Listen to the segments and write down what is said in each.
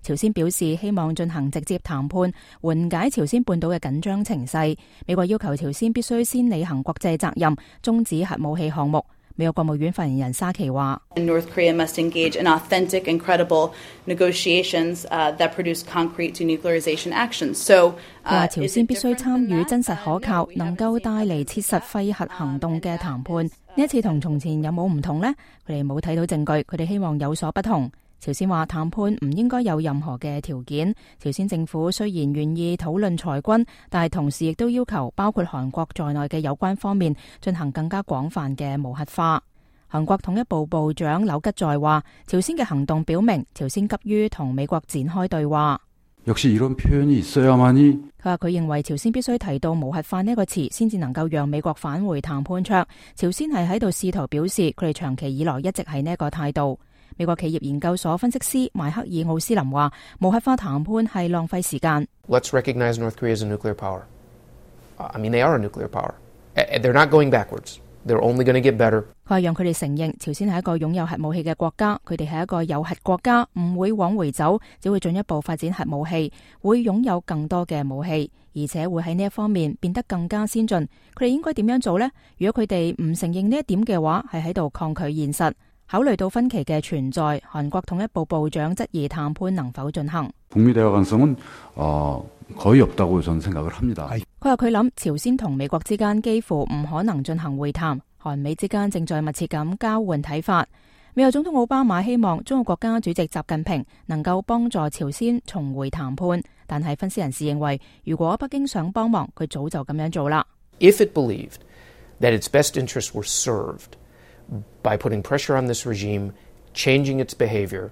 朝鮮表示希望進行直接談判，緩解朝鮮半島嘅緊張情勢。美國要求朝鮮必須先履行國際責任，終止核武器項目。美國國務院發言人沙奇話：North Korea must engage in authentic and credible negotiations that produce concrete denuclearization actions. So， 佢話朝鮮必須參與真實可靠、能夠帶嚟切實廢核行動嘅談判。呢一次同從前有冇唔同呢？佢哋冇睇到證據，佢哋希望有所不同。朝鮮話談判唔應該有任何嘅條件。朝鮮政府雖然願意討論裁軍，但係同時亦都要求包括韓國在內嘅有關方面進行更加廣泛嘅無核化。韓國統一部部長柳吉在話，朝鮮嘅行動表明朝鮮急於同美國展開對話。佢話佢認為朝鮮必須提到無核化呢個詞，先至能夠讓美國返回談判桌。朝鮮係喺度試圖表示佢哋長期以來一直係呢個態度。美國企業研究所分析師邁克爾奧斯林話，無核化談判係浪費時間。Let's recognize North Korea as a nuclear power. I mean, they are a nuclear power. They're not going backwards. They're only going to get better. 佢話讓佢哋承認朝鮮係一個擁有核武器嘅國家，佢哋係一個有核國家，唔會往回走，只會進一步發展核武器，會擁有更多嘅武器，而且會喺呢一方面變得更加先進。佢哋應該點樣做呢？如果佢哋唔承認呢一點嘅話，係喺度抗拒現實。考慮到分歧嘅存在，韓國統一部部長質疑談判能否進行。佢話佢諗朝鮮同美國之間幾乎唔可能進行會談，韓美之間正在密切咁交換睇法。美國總統奧巴馬希望中國國家主席習近平能夠幫助朝鮮重回談判，但係分析人士認為，如果北京想幫忙，佢早就咁樣做啦。If it believed that its best interests were served by putting pressure on this regime, changing its behavior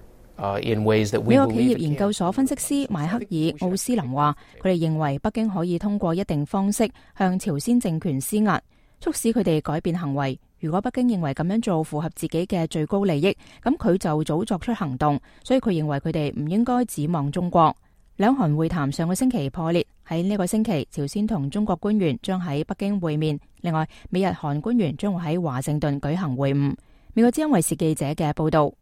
in ways that we believe it can. 美國企業研究所分析師邁克爾奧斯林話，佢哋認為北京可以通過一定方式向朝鮮政權施壓，促使佢哋改變行為。如果北京認為咁樣做符合自己嘅最高利益，咁佢就早作出行動。所以佢認為佢哋唔應該指望中國。兩韓會談上個星期破裂，喺呢個星期，朝鮮同中國官員將喺北京會面。另外，美日韓官員將會喺華盛頓舉行會晤。美國之音衛視記者嘅報道。